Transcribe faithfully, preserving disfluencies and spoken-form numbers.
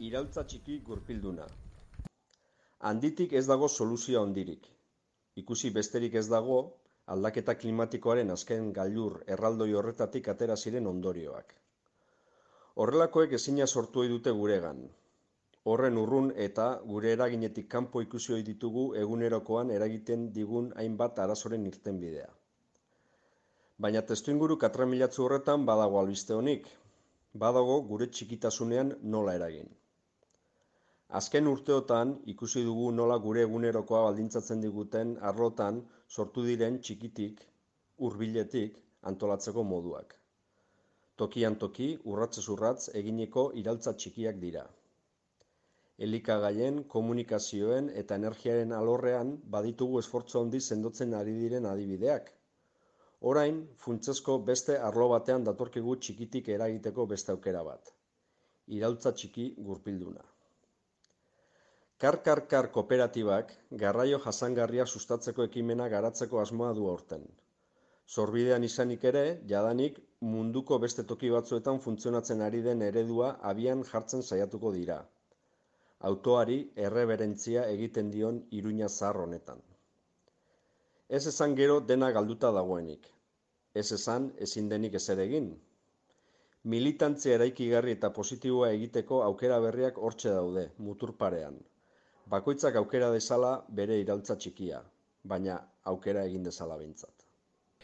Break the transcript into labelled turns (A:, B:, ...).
A: Iraultza txiki gurpilduna. Handitik ez dago soluzio handirik. Ikusi besterik ez dago, aldaketa klimatikoaren azken gailur erraldoi horretatik atera ziren ondorioak. Horrelakoek ezina sortu ohi dute guregan. Horren urrun eta gure eraginetik kanpo ikusi ohi ditugu egunerokoan eragiten digun hainbat arazoren irtenbidea. Baina testuinguru katramilatsu horretan badago albiste onik. Badago gure txikitasunean nola eragin. Azken urteotan ikusi dugu nola gure egunerokoa baldintzatzen diguten arlotan sortu diren txikitik, hurbiletik antolatzeko moduak. Tokian toki, urratsez urrats eginiko iraultza txikiak dira. Elikagaien, komunikazioen eta energiaren alorrean baditugu esfortzu handi sendotzen ari diren adibideak. Orain, funtsezko beste arlo batean datorkigu txikitik eragiteko beste aukera bat. Iraultza txiki gurpilduna. Kar-kar-kar kooperatibak garraio jasangarria sustatzeko ekimena garatzeko asmoa du aurten. Sorbidean izanik ere, jadanik munduko beste toki batzuetan funtzionatzen ari den eredua abian jartzen saiatuko dira. Autoari erreberentzia egiten dion iruña zahar honetan. Ez esan gero dena galduta dagoenik. Ez esan ezin denik ezer egin. Militantzia eraikigarri eta positiboa egiteko aukera berriak hortxe daude, mutur parean. Bakoitzak aukera dezala bere iraultza txikia, baina aukera egin dezala behintzat.